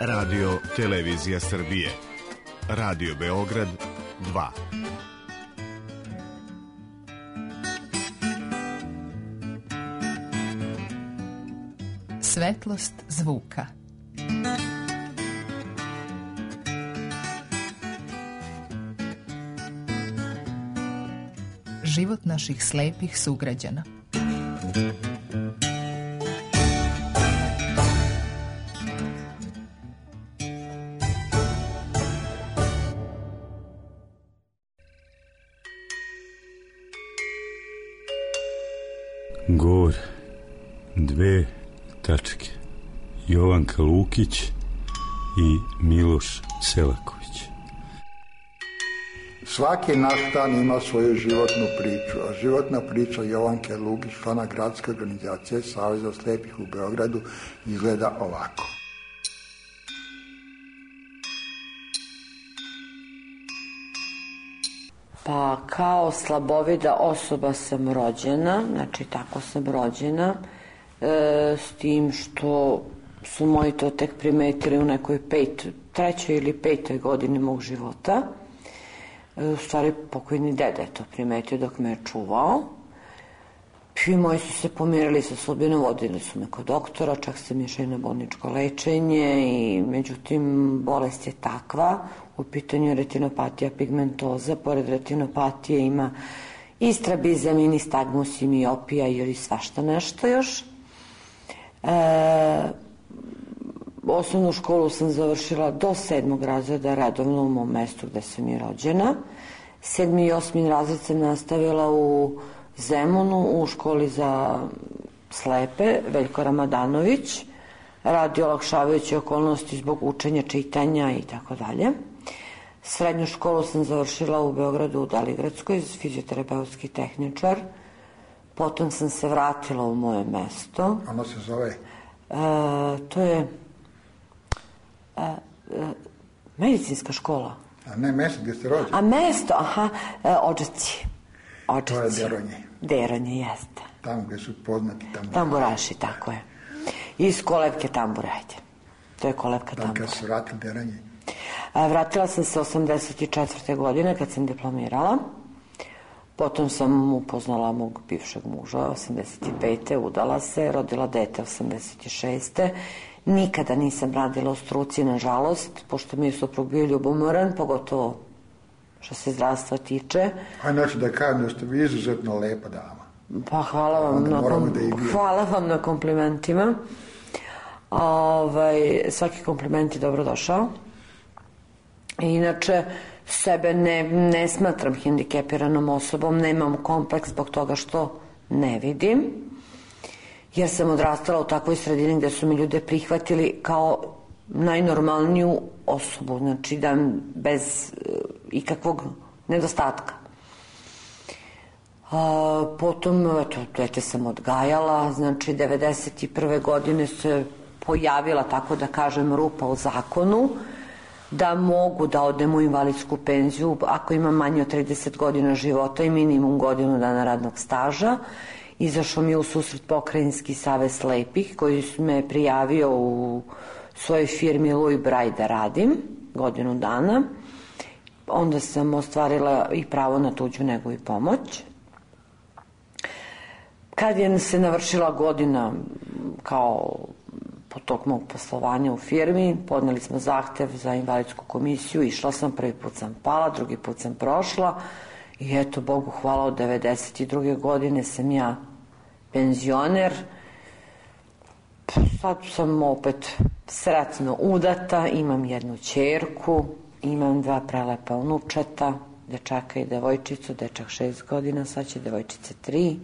Radio Televizija Srbije. Radio Beograd 2. Svetlost zvuka. Život naših slepih sugrađana. Gor, 2 tačke. Jovanka Lukić i Miloš Selaković. Svaki naš stan ima svoju životnu priču, a životna priča Jovanke Lukić, člana gradske organizacije Saveza slepih u Beogradu, izgleda ovako. Pa kao slabovida osoba sam rođena, znači tako sam rođena, s tim što su moji to tek primetili u nekoj trećoj ili petoj godini mog života. U stvari pokojni deda je to primetio dok me je čuvao. I moji su se pomirili sa sudbinom, vodili su me kod doktora, čak sam išla i na bolničko lečenje i međutim bolest je takva, u pitanju je retinopatija pigmentoza, pored retinopatije ima i strabizam, i nistagmus, i miopija ili svašta nešto još. Osnovnu školu sam završila do 7. razreda redovno u mom mestu gde sam i rođena. 7. i 8. razred sam nastavila u Zemunu u školi za slepe Veljko Ramadanović, radi olakšavajuće okolnosti zbog učenja, čitanja i tako dalje. Srednju školu sam završila u Beogradu u Deligradskoj, fizioterapeutski tehničar. Potom sam se vratila u moje mesto. Ono se zove? To je medicinska škola. A ne mesto gdje ste rođeni? A mesto, aha, Odžaci. To je Deronje. Deronje, jeste. Tamo gdje su poznati tamburaši. Tamburaši, tako je. Iz kolevke tambure, ajde. To je kolevka tambura. Kad se vratili Deronje? Vratila sam se 84. godine kad sam diplomirala. Potom sam upoznala mog bivšeg muža, 85. udala se, rodila dete 86. Nikada nisam radila u struci, nažalost, pošto mi je suprug bio ljubomoran, pogotovo što se zdravstva tiče. Znači da kažem da ste vi izuzetno lepa dama. Pa hvala vam na komplimentima. Svaki kompliment je dobro došao. Inače, sebe ne smatram hendikepiranom osobom, nemam kompleks zbog toga što ne vidim, jer sam odrastala u takvoj sredini gde su mi ljude prihvatili kao najnormalniju osobu, znači da bez ikakvog nedostatka. Potom, dete sam odgajala, znači 91. godine se pojavila, tako da kažem, rupa u zakonu, da mogu da odem u invalidsku penziju ako imam manje od 30 godina života i minimum godinu dana radnog staža. Izašao mi je u susret Pokrajinski savez slepih koji me prijavio u svojoj firmi Louis Braille da radim godinu dana. Onda sam ostvarila i pravo na tuđu negu i pomoć. Kad je se navršila godina kao po tog mog poslovanja u firmi, podneli smo zahtev za invalidsku komisiju, išla sam, prvi put sam pala, drugi put sam prošla i eto, Bogu hvala, od 92. godine sam ja penzioner. Sad sam opet sretno udata, imam jednu ćerku, imam 2 prelepa unučeta, dečaka i devojčicu, dečak 6 godina, sad će devojčice 3.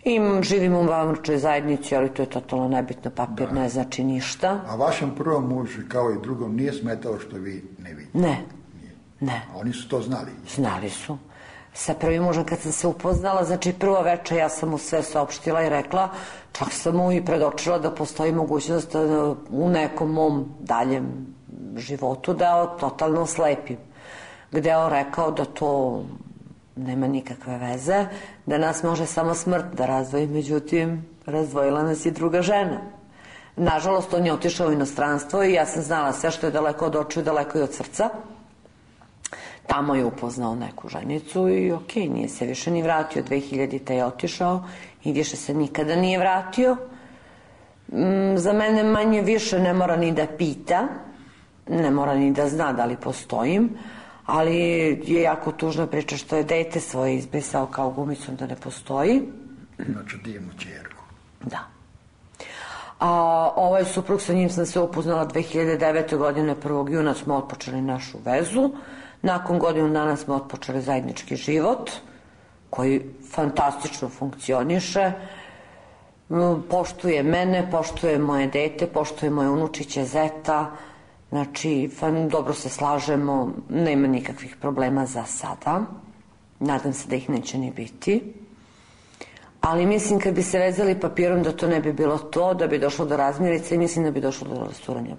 I živim u vanbračnoj zajednici, ali to je totalno nebitno, papir ne znači ništa. A vašem prvom mužu, kao i drugom, nije smetalo što vi ne vidite? Ne. A oni su to znali? Znali su. Sa prvim mužem kad sam se upoznala, znači prvo večer ja sam mu sve saopštila i rekla, čak sam mu i predočila da postoji mogućnost u nekom mom daljem životu da totalno slepim. Gde je on rekao da to nema nikakve veze, da nas može samo smrt da razdvoji, međutim razdvojila nas i druga žena. Nažalost, on je otišao u inostranstvo i ja sam znala sve što je daleko od očiju, daleko i od srca. Tamo je upoznao neku ženicu i okej, nije se više ni vratio. 2000. je otišao i više se nikada nije vratio. Za mene manje više ne mora ni da pita, ne mora ni da zna da li postojim, ali je jako tužna priča što je dete svoje izbrisao kao gumicom da ne postoji. Znači divnu ćerku. Da. A ovaj suprug, sa njim sam se upoznala 2009. godine, 1. juna smo otpočeli našu vezu. Nakon godinu dana smo otpočeli zajednički život, koji fantastično funkcioniše. Poštuje mene, poštuje moje dete, poštuje moje unučiće, zeta. Znači, dobro se slažemo, nema nikakvih problema za sada. Nadam se da ih neće ni biti. Ali mislim kad bi se vezali papirom da to ne bi bilo to, da bi došlo do razmirice i mislim da bi došlo do rasturanja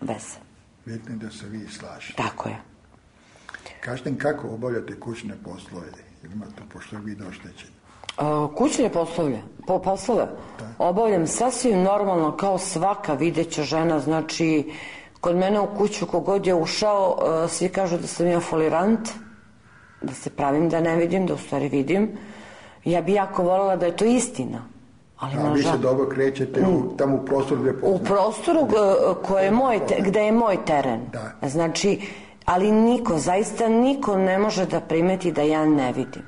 veze. Bitno da se vi slažete. Tako je. Kažete mi kako obavljate kućne poslove? Imate, pošto je vi oštećeni. Kućne poslove obavljam sasvim normalno kao svaka videća žena. Znači, kod mene u kuću kogod je ušao, svi kažu da sam ja folirant, da se pravim da ne vidim, da u stvari vidim. Ja bi jako voljela da je to istina. A vi se dobro krećete tamo u prostoru gde poznate? U prostoru gde je moj teren. Da. Znači, ali niko, zaista niko ne može da primeti da ja ne vidim.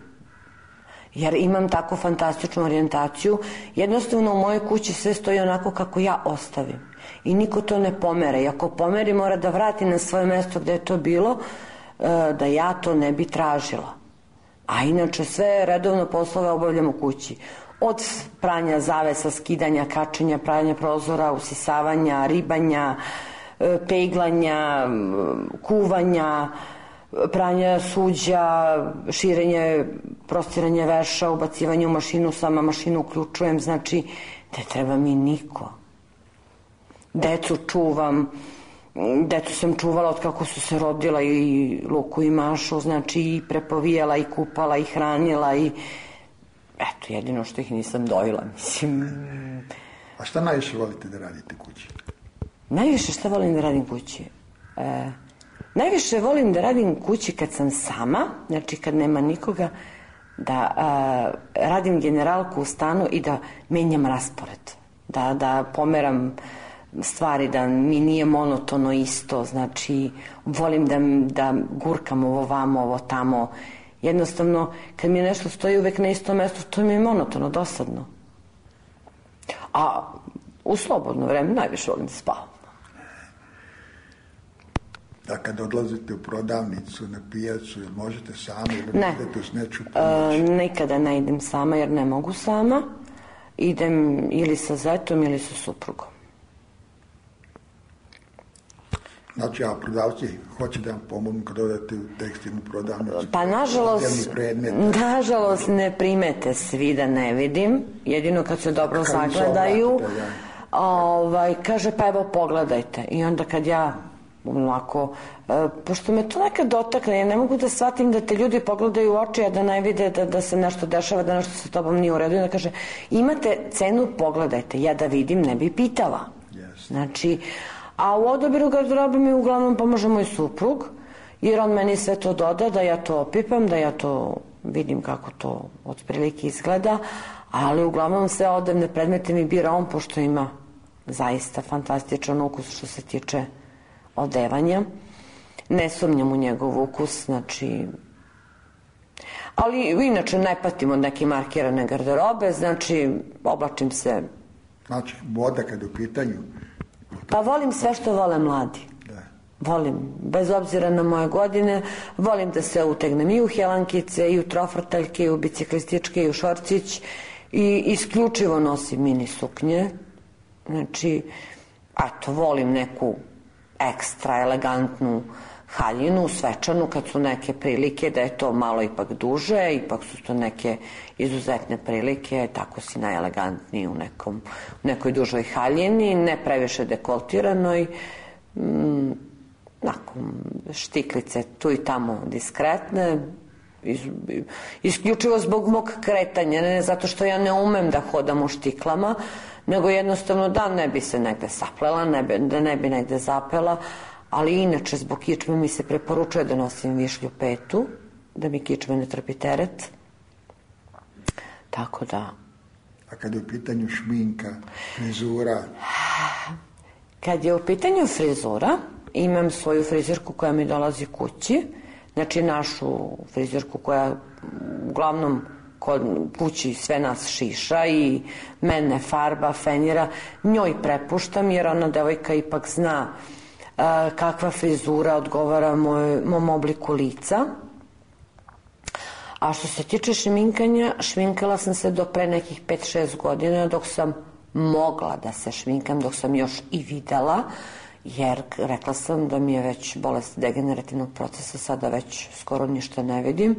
Jer imam tako fantastičnu orijentaciju. Jednostavno u mojoj kući sve stoji onako kako ja ostavim. I niko to ne pomere. I ako pomeri, mora da vrati na svoje mesto gde je to bilo, da ja to ne bi tražila. A inače sve redovno poslove obavljam u kući. Od pranja zavesa, skidanja, kačenja, pravljanja prozora, usisavanja, ribanja, peglanja, kuvanja, pranja suđa, širenje, prostiranje veša, ubacivanje u mašinu, sama mašinu uključujem, znači ne treba mi niko. Decu čuvam, decu sam čuvala od kako su se rodila, i Luku i Mašu, znači i prepovijala i kupala i hranila i eto, jedino što ih nisam dojela, mislim. A šta najviše volite da radite kući? Najviše šta volim da radim kući? Najviše volim da radim kući kad sam sama, znači kad nema nikoga, da radim generalku u stanu i da menjam raspored, da pomeram stvari, da mi nije monotono isto, znači volim da gurkam ovo vamo, ovo tamo. Jednostavno, kad mi nešto stoji uvek na istom mestu, to mi je monotono, dosadno. A u slobodno vreme najviše volim da spavam. Da kad odlazite u prodavnicu, na pijacu, ili možete sami ili idete s neču pomoći? Nikada ne idem sama jer ne mogu sama. Idem ili sa zetom ili sa suprugom. Znači, a prodavci hoće da vam pomognu kad odete u tekstilnu prodavnicu? Pa nažalost ne primete svi da ne vidim, jedino kad se dobro zagledaju. Kaže, pa evo pogledajte. I onda kad ja onako, pošto me to nekad dotakne, ja ne mogu da shvatim da te ljudi pogledaju u oči, a da ne vide da se nešto dešava, da nešto sa tobom nije u redu. I onda kaže, imate cenu, pogledajte. Ja da vidim, ne bi pitala. Znači, a u odabiru garderobe mi uglavnom pomaže moj suprug, jer on meni sve to doda, da ja to opipam, da ja to vidim kako to otprilike izgleda, ali uglavnom sve odevne predmete mi bira on, pošto ima zaista fantastičan ukus što se tiče odevanja. Ne sumnjam u njegov ukus, znači. Ali inače ne patim od neke markirane garderobe, znači oblačim se. Znači, moda kad u pitanju? Pa volim sve što vole mladi. Volim, bez obzira na moje godine, volim da se utegnem i u helankice, i u trofrtaljke, i u biciklističke, i u šorcić, i isključivo nosim mini suknje. Znači, eto, volim neku ekstra elegantnu haljinu, svečanu, kad su neke prilike da je to malo ipak duže, ipak su to neke izuzetne prilike, tako si najelegantniji u nekoj dužoj haljini, ne previše dekoltiranoj, štiklice tu i tamo diskretne, isključivo zbog mog kretanja, ne zato što ja ne umem da hodam u štiklama, nego jednostavno da ne bi se negde saplela, da ne bi negde zapela, ali inače zbog kičme mi se preporučuje da nosim višlju petu, da mi kičme ne trpi teret. Tako da... A kad je u pitanju šminka, frizura? Kad je u pitanju frizura, imam svoju frizerku koja mi dolazi kući, znači našu frizerku koja uglavnom kod kući sve nas šiša i mene farba, fenira, njoj prepuštam jer ona devojka ipak zna kakva frizura odgovara mom obliku lica. A što se tiče šminkanja, šminkala sam se do pre nekih 5-6 godina dok sam mogla da se šminkam, dok sam još i videla, jer rekla sam da mi je već bolest degenerativnog procesa, sada već skoro ništa ne vidim,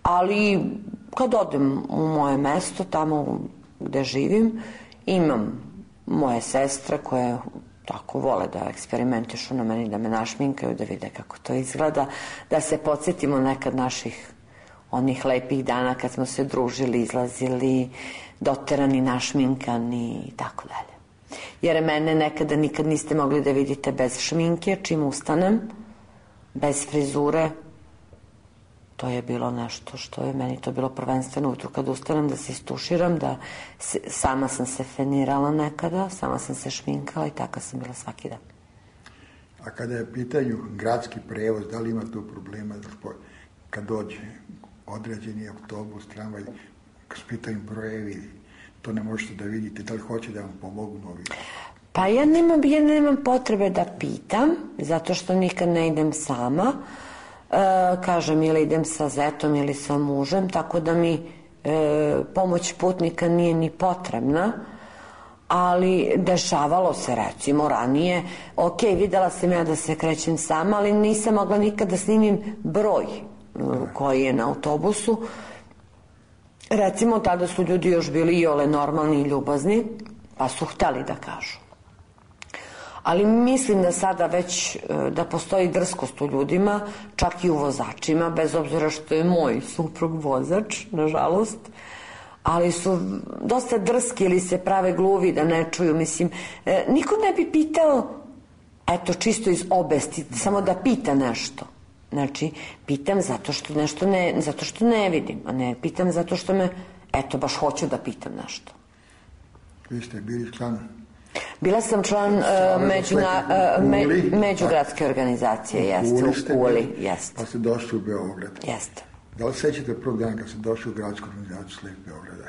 ali kad odem u moje mesto, tamo gde živim, imam moje sestre koje tako vole da eksperimentišu na meni, da me našminkaju, da vide kako to izgleda, da se podsjetimo nekad naših onih lepih dana kad smo se družili, izlazili, doterani, našminkani i tako dalje. Jer mene nekada nikad niste mogli da vidite bez šminke, čim ustanem, bez frizure. To je bilo nešto što je meni to bilo prvenstveno ujutru kad ustanem, da se istuširam, da sama sam se fenirala nekada, sama sam se šminkala i taka sam bila svaki dan. A kada je pitanju gradski prevoz, da li ima tu problema kad dođe određeni autobus, tramvaj, kad su pitanju brojevi, to ne možete da vidite, da li hoće da vam pomognu ovi? Pa ja nemam potrebe da pitam, zato što nikad ne idem sama. Kažem, ili idem sa zetom ili sa mužem, tako da mi pomoć putnika nije ni potrebna, ali dešavalo se recimo ranije, ok, videla sam ja da se krećem sama, ali nisam mogla nikad da snimim broj koji je na autobusu. Recimo, tada su ljudi još bili iole normalni i ljubazni, pa su hteli da kažu. Ali mislim da sada već da postoji drskost u ljudima, čak i u vozačima, bez obzira što je moj suprug vozač, nažalost, ali su dosta drski ili se prave gluvi da ne čuju. Mislim, niko ne bi pitao, eto, čisto iz obesti, samo da pita nešto. Znači, pitam zato što ne vidim, a ne pitam zato što me, eto, baš hoću da pitam nešto. Vi ste bili član? Bila sam član međugradske organizacije, jeste, u Uli, jeste. Pa ste došli u Beograd. Jeste. Da li sećate prvog dana kad ste došli u gradsku organizaciju Slep Beograda?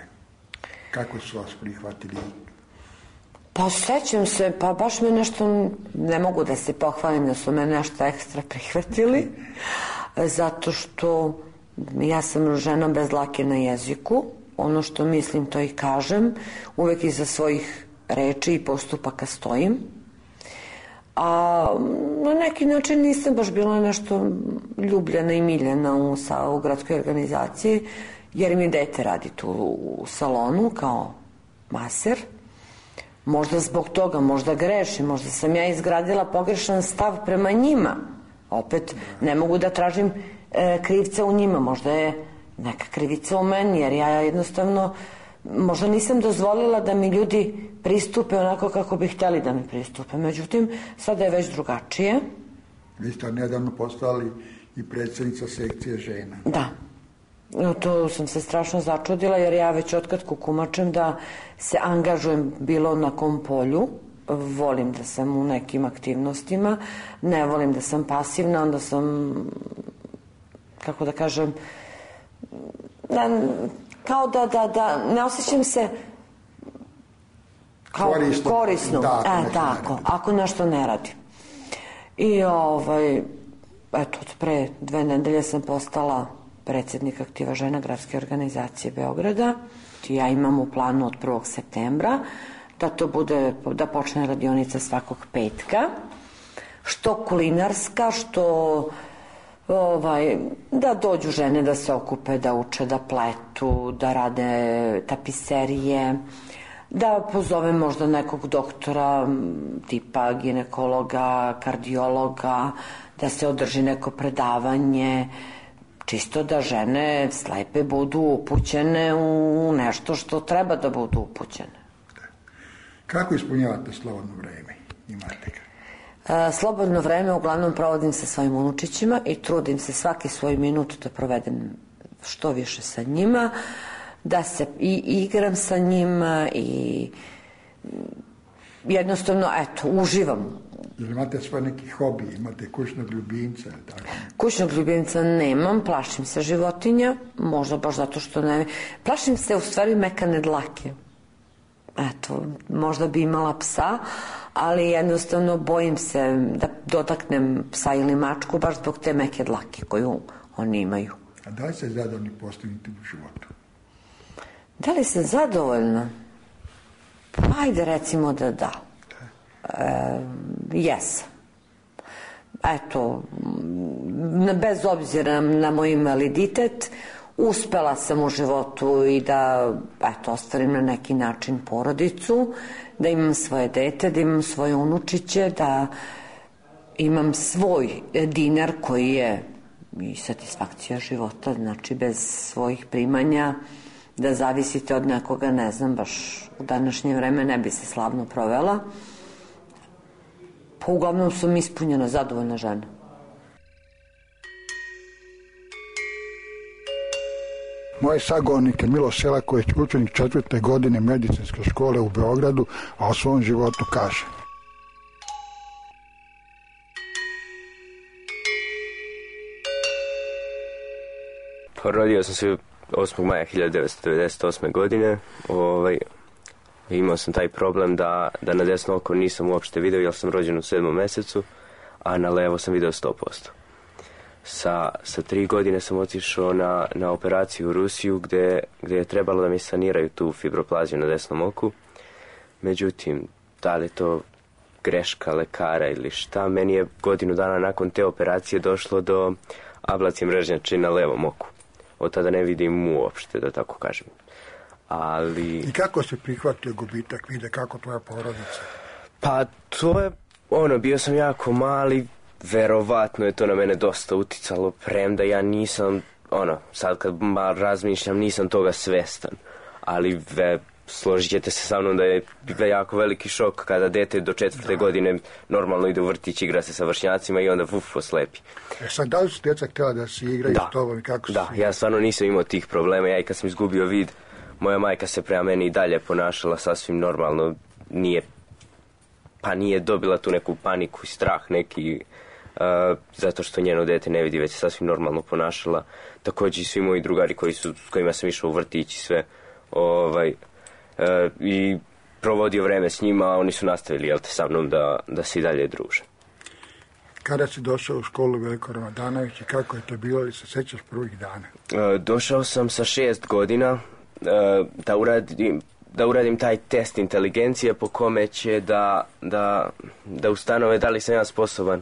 Kako su vas prihvatili? Pa sećam se, pa baš me nešto, ne mogu da se pohvalim da su me nešto ekstra prihvatili, zato što ja sam žena bez dlake na jeziku, ono što mislim to i kažem, uvek iza svojih reči i postupaka stojim, a na neki način nisam baš bila nešto ljubljena i miljena u gradskoj organizaciji, jer mi dete radi tu u salonu kao maser. Možda zbog toga, možda grešim, možda sam ja izgradila pogrešan stav prema njima. Opet, ne mogu da tražim krivca u njima, možda je neka krivica u meni, jer ja jednostavno možda nisam dozvolila da mi ljudi pristupe onako kako bi htjeli da mi pristupe. Međutim, sada je već drugačije. Vi ste nedavno postali i predsjednica sekcije žena. Da. To sam se strašno začudila, jer ja već otkad kukumačem da se angažujem bilo na kom polju. Volim da sam u nekim aktivnostima, ne volim da sam pasivna, onda sam, kako da kažem, kao da ne osjećam se kao korisno. Tako, ako nešto ne radim. I eto, od pre 2 nedelje sam postala predsjednik aktiva žena gradske organizacije Beograda. Ja imam u planu od 1. septembra da to bude, da počne radionica svakog petka, što kulinarska, što da dođu žene da se okupe, da uče, da pletu, da rade tapiserije, da pozovem možda nekog doktora tipa ginekologa, kardiologa, da se održi neko predavanje, čisto da žene slepe budu upućene u nešto što treba da budu upućene. Kako ispunjavate slobodno vreme? Imate ga? Slobodno vreme uglavnom provodim sa svojim unučićima i trudim se svaki svoj minut da provedem što više sa njima, da se i igram sa njima i jednostavno, uživam. Ili imate svoj neki hobi, imate kućnog ljubimca? Tako? Kućnog ljubimca nemam, plašim se životinja, možda baš zato što ne... Plašim se u stvari mekane dlake. Možda bi imala psa, ali jednostavno bojim se da dotaknem psa ili mačku baš zbog te meke dlake koju oni imaju. A da li ste zadovoljni postignutim u životu? Da li sam zadovoljna? Pa ajde recimo da da. Jesam. Bez obzira na moj invaliditet, uspela sam u životu i da ostvarim na neki način porodicu, da imam svoje dete, da imam svoje unučiće, da imam svoj dinar koji je i satisfakcija života, znači bez svojih primanja, da zavisite od nekoga, ne znam, baš u današnje vreme ne bi se slavno provela. Pa uglavnom sam ispunjena, zadovoljna žena. Moj sagovornik je Miloš Selaković, učenik 4. godine medicinske škole u Beogradu, a o svom životu kaže. Rodio sam se 8. maja 1998. godine. Imao sam taj problem da na desno oko nisam uopšte video, jer sam rođen u 7. mesecu, a na levo sam video 100%. Sa 3 godine sam otišao na operaciju u Rusiju gde je trebalo da mi saniraju tu fibroplaziju na desnom oku. Međutim, da li to greška lekara ili šta, meni je godinu dana nakon te operacije došlo do ablacije mrežnjače na levom oku. Od tada ne vidim uopšte, da tako kažem. I kako se prihvatio gubitak, vide kako tvoja porodica? Pa to je, bio sam jako mali, verovatno je to na mene dosta uticalo, premda ja nisam, sad kad malo razmišljam, nisam toga svestan. Ali složit ćete se sa mnom da je jako veliki šok kada dete do 4. godine normalno ide u vrtić, igra se sa vršnjacima i onda oslepi. Sad, da li su djeca htjela da se igraju s tobom i kako su? Da, ja stvarno nisam imao tih problema. Ja i kad sam izgubio vid, moja majka se prema meni i dalje ponašala sasvim normalno. Nije dobila tu neku paniku i strah neki, zato što njeno dete ne vidi, već se sasvim normalno ponašala. Također i svi moji drugari s kojima sam išao u vrtić i sve, i provodio vreme s njima, a oni su nastavili sa mnom da se i dalje druže. Kada si došao u školu Veliko Ramadanović i kako je to bilo, ili se sećaš prvih dana? Došao sam sa 6 godina da uradim taj test inteligencije po kome će da ustanove da li sam ja sposoban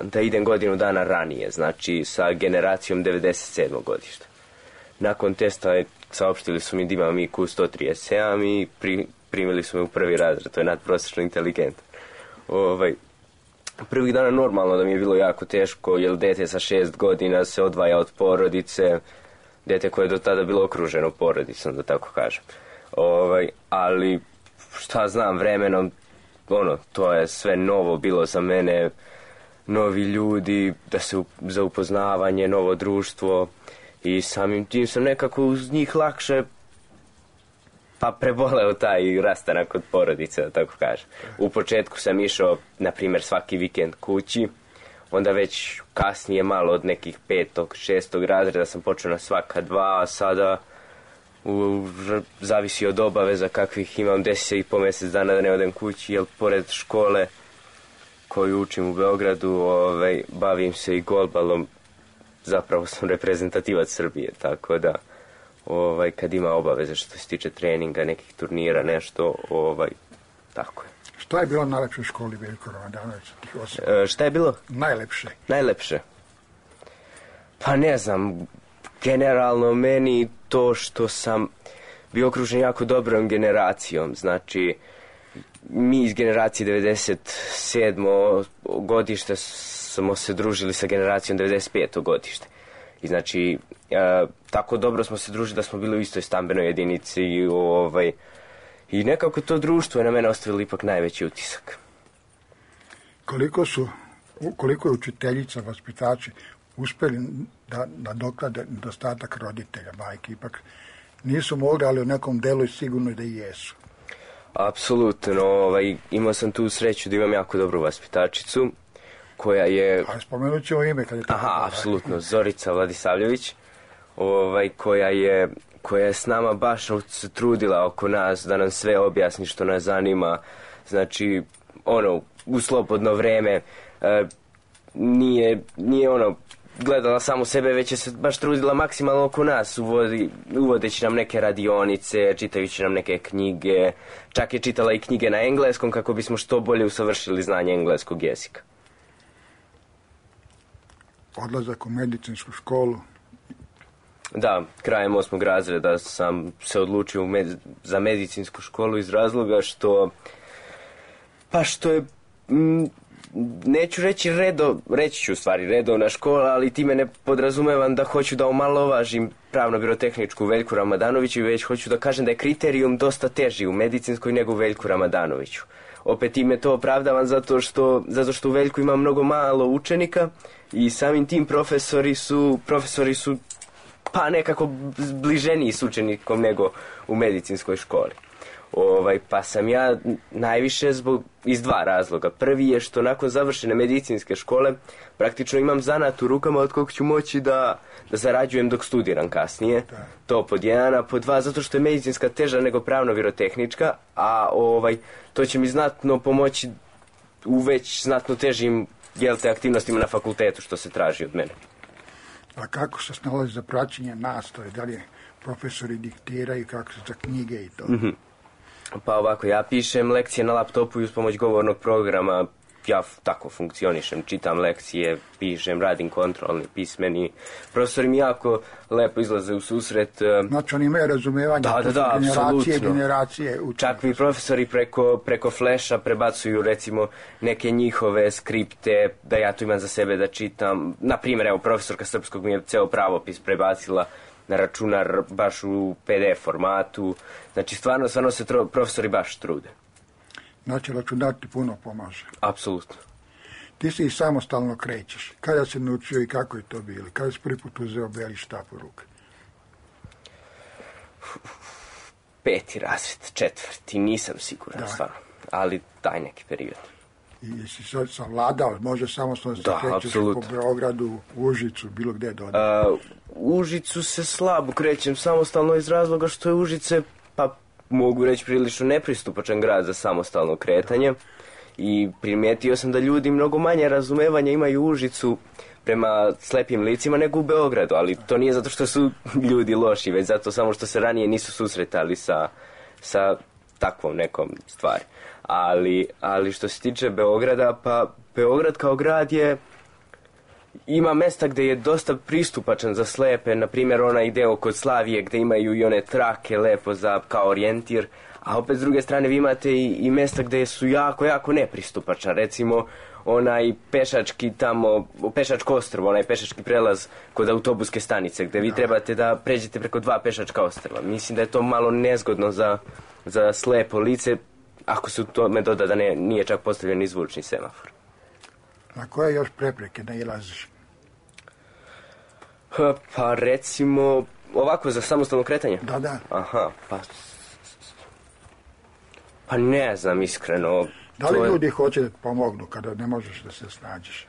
da idem godinu dana ranije, znači sa generacijom 97. godišta. Nakon testa saopštili su mi da imam IQ 137 i primili su me u prvi razred, to je nadprosečno inteligentan. Prvih dana normalno da mi je bilo jako teško, jer dete sa 6 godina se odvaja od porodice, dete koje je do tada bilo okruženo porodicom, da tako kažem. Ali šta znam, vremenom, to je sve novo bilo za mene, novi ljudi, za upoznavanje, novo društvo, i samim tim sam nekako uz njih lakše preboleo taj rastanak od porodice, da tako kažem. U početku sam išao, na primjer, svaki vikend kući, onda već kasnije malo od nekih 5. 6. razreda sam počeo na svaka 2, a sada zavisi od obaveza kakvih imam, 10 i po mjesec dana da ne odem kući, jer pored škole koju učim u Beogradu, bavim se i golbalom, zapravo sam reprezentativac Srbije, tako da kad ima obaveze što se tiče treninga, nekih turnira, nešto, tako je. Šta je bilo najlepše u školi Veliko Ramadanović? Šta je bilo? Najlepše. Najlepše? Pa ne znam, generalno meni to što sam bio okružen jako dobrom generacijom, znači mi iz generacije 97. godište smo se družili sa generacijom 95. godište. I znači, tako dobro smo se družili da smo bili u istoj stambenoj jedinici I nekako to društvo je na mene ostavilo ipak najveći utisak. Koliko je učiteljica, vaspitači uspjeli da nadoknade nedostatak roditelja, majke, ipak nisu mogli, ali u nekom delu je sigurno da i jesu. Apsolutno, imao sam tu sreću da imam jako dobru vaspitačicu, koja je... A spomenut ćemo ime kad je tako. Aha, apsolutno, Zorica Vladisavljević, koja je s nama baš se trudila oko nas da nam sve objasni što nas zanima. Znači, u slobodno vreme nije gledala samo sebe, već je se baš trudila maksimalno oko nas, uvodeći nam neke radionice, čitajući nam neke knjige, čak je čitala i knjige na engleskom kako bismo što bolje usavršili znanje engleskog jezika. Odlazak u medicinsku školu. Da, krajem 8. razreda sam se odlučio za medicinsku školu iz razloga što je, neću reći reći ću u stvari redovna škola, ali time ne podrazumevam da hoću da omalovažim pravno-birotehničku Veljku Ramadanoviću, već hoću da kažem da je kriterijum dosta teži u medicinskoj nego u Veljku Ramadanoviću. Opet time to opravdavam zato što u Veljku ima mnogo malo učenika i samim tim profesori su pa nekako bliženiji s učenikom nego u medicinskoj školi. Pa sam ja najviše iz dva razloga. Prvi je što nakon završene medicinske škole praktično imam zanat u rukama od kog ću moći da zarađujem dok studiram kasnije. To pod jedan, a pod dva zato što je medicinska teža nego pravno-birotehnička, a to će mi znatno pomoći u već znatno težim aktivnostima na fakultetu što se traži od mene. A kako se snalazi za praćenje nastave? Da li profesori diktiraju, kako se za knjige i to? Mm-hmm. Pa ovako, ja pišem lekcije na laptopu i uz pomoć govornog programa ja tako funkcionišem, čitam lekcije, pišem, radim kontrolni, pismeni. Profesori mi jako lepo izlaze u susret. Znači oni imaju razumevanje, da, generacije učenika. Čak mi profesori preko flasha prebacuju recimo neke njihove skripte, da ja tu imam za sebe da čitam. Naprimjer, evo, profesorka srpskog mi je ceo pravopis prebacila na računar baš u PDF formatu. Znači, stvarno se profesori baš trude. Znači, računar ti puno pomaže. Apsolutno. Ti se i samostalno krećeš. Kada si naučio i kako je to bilo? Kada si prvi put uzeo beli štap u ruke? 5. razred, 4. Nisam siguran, stvarno. Ali taj neki period. I jesi savladao, može samostalno se krećeš po Beogradu, Užicu, bilo gde dodati? U Užicu se slabo krećem samostalno iz razloga što je Užice, pa mogu reći, prilično nepristupačan grad za samostalno kretanje. I primijetio sam da ljudi mnogo manje razumevanja imaju u Užicu prema slepim licima nego u Beogradu, ali to nije zato što su ljudi loši, već zato samo što se ranije nisu susretali sa takvom nekom stvari. Ali što se tiče Beograda, pa Beograd kao grad ima mesta gde je dosta pristupačan za slepe, na primjer onaj deo kod Slavije gde imaju i one trake lepo kao orijentir, a opet s druge strane vi imate i mesta gde su jako, jako nepristupačna, recimo onaj pešački tamo, pešačko ostrvo, onaj pešački prelaz kod autobuske stanice gde vi trebate da pređete preko 2 pešačka ostrva. Mislim da je to malo nezgodno za slepo lice, ako se u tome doda da nije čak postavljen ni zvučni semafor. Na koje još prepreke nailaziš? Pa recimo, ovako za samostalno kretanje? Da. Aha, pa ne znam iskreno. Da li ljudi hoće da pomognu kada ne možeš da se snađeš?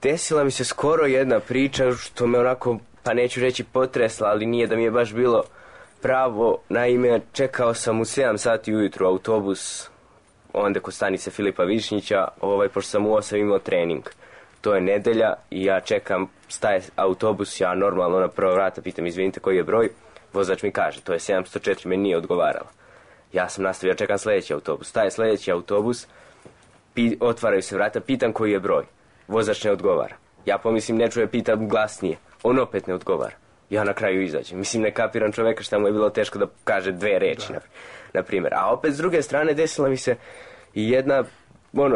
Desila mi se skoro jedna priča što me onako, pa neću reći potresla, ali nije da mi je baš bilo pravo. Naime, čekao sam u 7 sati ujutru autobus onda kod stanice Filipa Višnjića, pošto sam u 8 imao trening. To je nedelja i ja čekam, staje autobus, ja normalno na prva vrata pitam, izvinite koji je broj, vozač mi kaže, to je 704, meni nije odgovarala. Ja sam nastavio, čekam sljedeći autobus, staje sljedeći autobus, otvaraju se vrata, pitam koji je broj, vozač ne odgovara. Ja pomislim, ne čuje, pitam glasnije, on opet ne odgovara. Ja na kraju izađem. Mislim, ne kapiram čoveka šta mu je bilo teško da kaže 2 reči, na primjer. A opet, s druge strane, desila mi se i jedna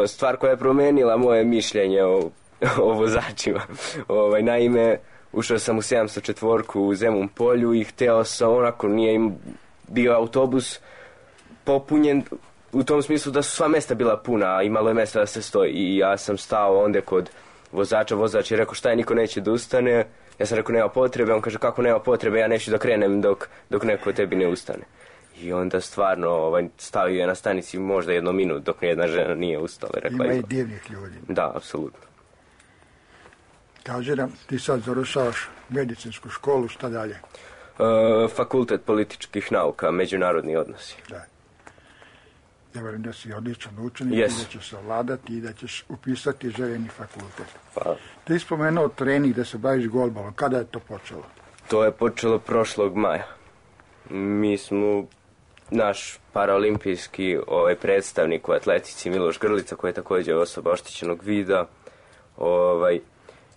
stvar koja je promenila moje mišljenje o vozačima. Naime, ušao sam u 704 u Zemun polju i hteo sam, nije im bio autobus popunjen u tom smislu da su sva mesta bila puna, a imalo je mesta da se stoji. I ja sam stao onda kod vozača, vozač je rekao šta je, niko neće da ustane. Ja sam rekao nema potrebe, on kaže kako nema potrebe, ja neću da krenem dok neko od tebi ne ustane. I onda stvarno stavio je na stanici možda 1 minut dok nijedna žena nije ustala. Ima i divnih ljudi. Da, apsolutno. Kaže nam, ti sad završavaš medicinsku školu, šta dalje? Fakultet političkih nauka, međunarodni odnosi. Da. Ja verujem da si odličan učenik i da ćeš se ovladati i da ćeš upisati željeni fakultet. Pa. Ti spomenuo trening da se baviš golbalom. Kada je to počelo? To je počelo prošlog maja. Mi smo, naš paraolimpijski predstavnik u atletici Miloš Grlica, koji je također osoba oštećenog vida,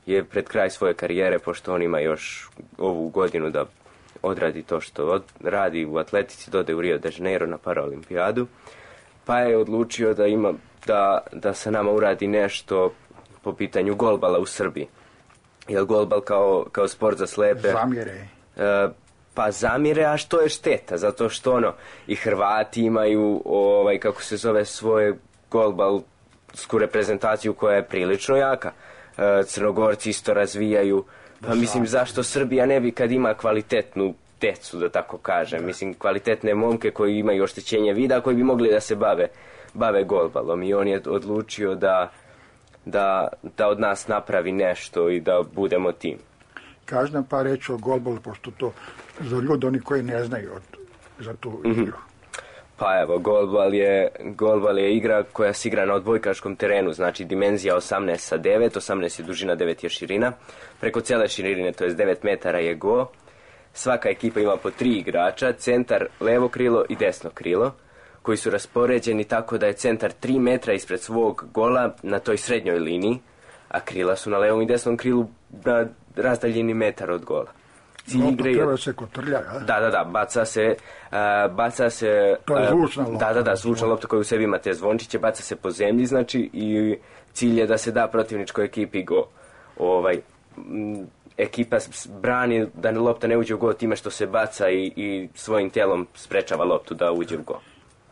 je pred kraj svoje karijere, pošto on ima još ovu godinu da odradi to što radi u atletici, dode u Rio de Janeiro na paraolimpijadu, pa je odlučio da se nama uradi nešto po pitanju golbala u Srbiji. Jer golbal kao sport za slepe... Zamjere. Pa zamire, a što je šteta, zato što i Hrvati imaju, kako se zove, svoje golbalsku reprezentaciju koja je prilično jaka. Crnogorci isto razvijaju, pa mislim zašto Srbija ne bi kad ima kvalitetnu decu, da tako kažem, mislim kvalitetne momke koji imaju oštećenje vida, koji bi mogli da se bave golbalom, i on je odlučio da od nas napravi nešto i da budemo tim. Kaži nam pa reći o golbalu, pošto to za ljudi oni koji ne znaju za tu igru. Pa evo, golbal je igra koja se igra na odbojkaškom terenu, znači dimenzija 18 x 9, 18 je dužina, 9 je širina. Preko cijele širine, to je 9 metara je go. Svaka ekipa ima po 3 igrača, centar, levo krilo i desno krilo, koji su raspoređeni tako da je centar 3 metra ispred svog gola na toj srednjoj liniji, a krila su na levom i desnom krilu na razdaljini metar od gola. Lopta treba se kotrlja, a? Da, baca se... To je zvučna lopta. Da, zvučna lopta koja u sebi ima te zvončiće, baca se po zemlji, znači, i cilj je da se da protivničkoj ekipi go. Ekipa brani da lopta ne uđe u go time što se baca i svojim tijelom sprečava loptu da uđe u go.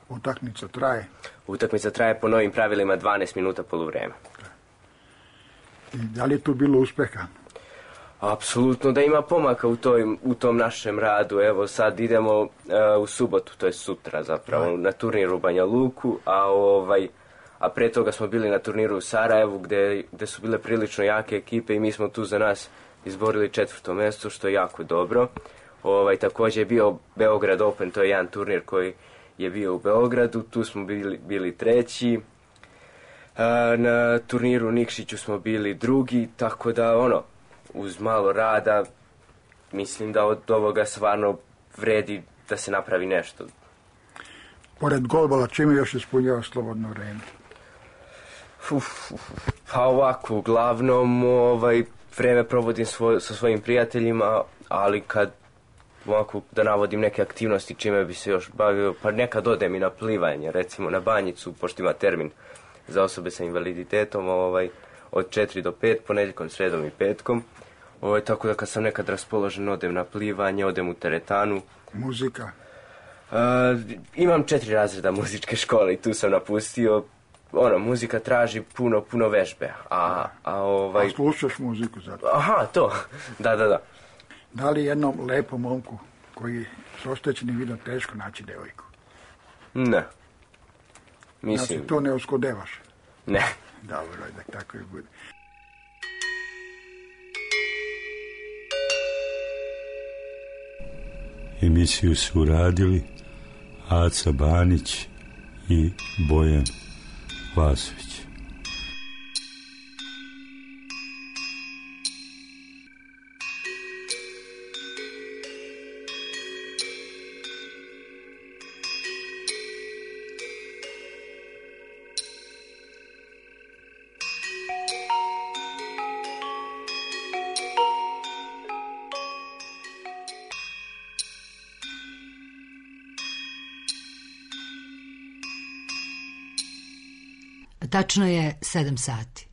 Utakmica traje? Utakmica traje po novim pravilima 12 minuta poluvreme. I da li je tu bilo uspeha? Apsolutno da ima pomaka u tom našem radu. Evo sad idemo u subotu, to je sutra zapravo, na turnir u Banja Luku, a pre toga smo bili na turniru u Sarajevu gde su bile prilično jake ekipe i mi smo tu za nas izborili 4. mjesto, što je jako dobro. Također je bio Beograd Open, to je jedan turnir koji je bio u Beogradu, tu smo bili 3. Na turniru u Nikšiću smo bili 2, tako da uz malo rada mislim da od ovoga stvarno vredi da se napravi nešto. Pored golbala, čime još ispunjava slobodno vreme? Pa ovako, uglavnom vreme provodim sa svojim prijateljima, ali kad ovako da navodim neke aktivnosti čime bi se još bavio, pa nekad odem i na plivanje, recimo na Banjicu, pošto ima termin za osobe sa invaliditetom, od 4 do 5, ponedjeljkom, sredom i petkom. Tako da kad sam nekad raspoložen, odem na plivanje, odem u teretanu. Muzika? Imam 4 razreda muzičke škole i tu sam napustio. Muzika traži puno vežbe. A slušaš muziku zato? Aha, to. Da. Da li jednom lepom momku koji s oštećenim vidom teško naći devojku? Ne. Mislim... Znači, to ne uskodevaš? Ne. Dobro, da tako i bude. Emisiju su uradili Aca Banić i Bojan Vasović. Tačno je 7 sati.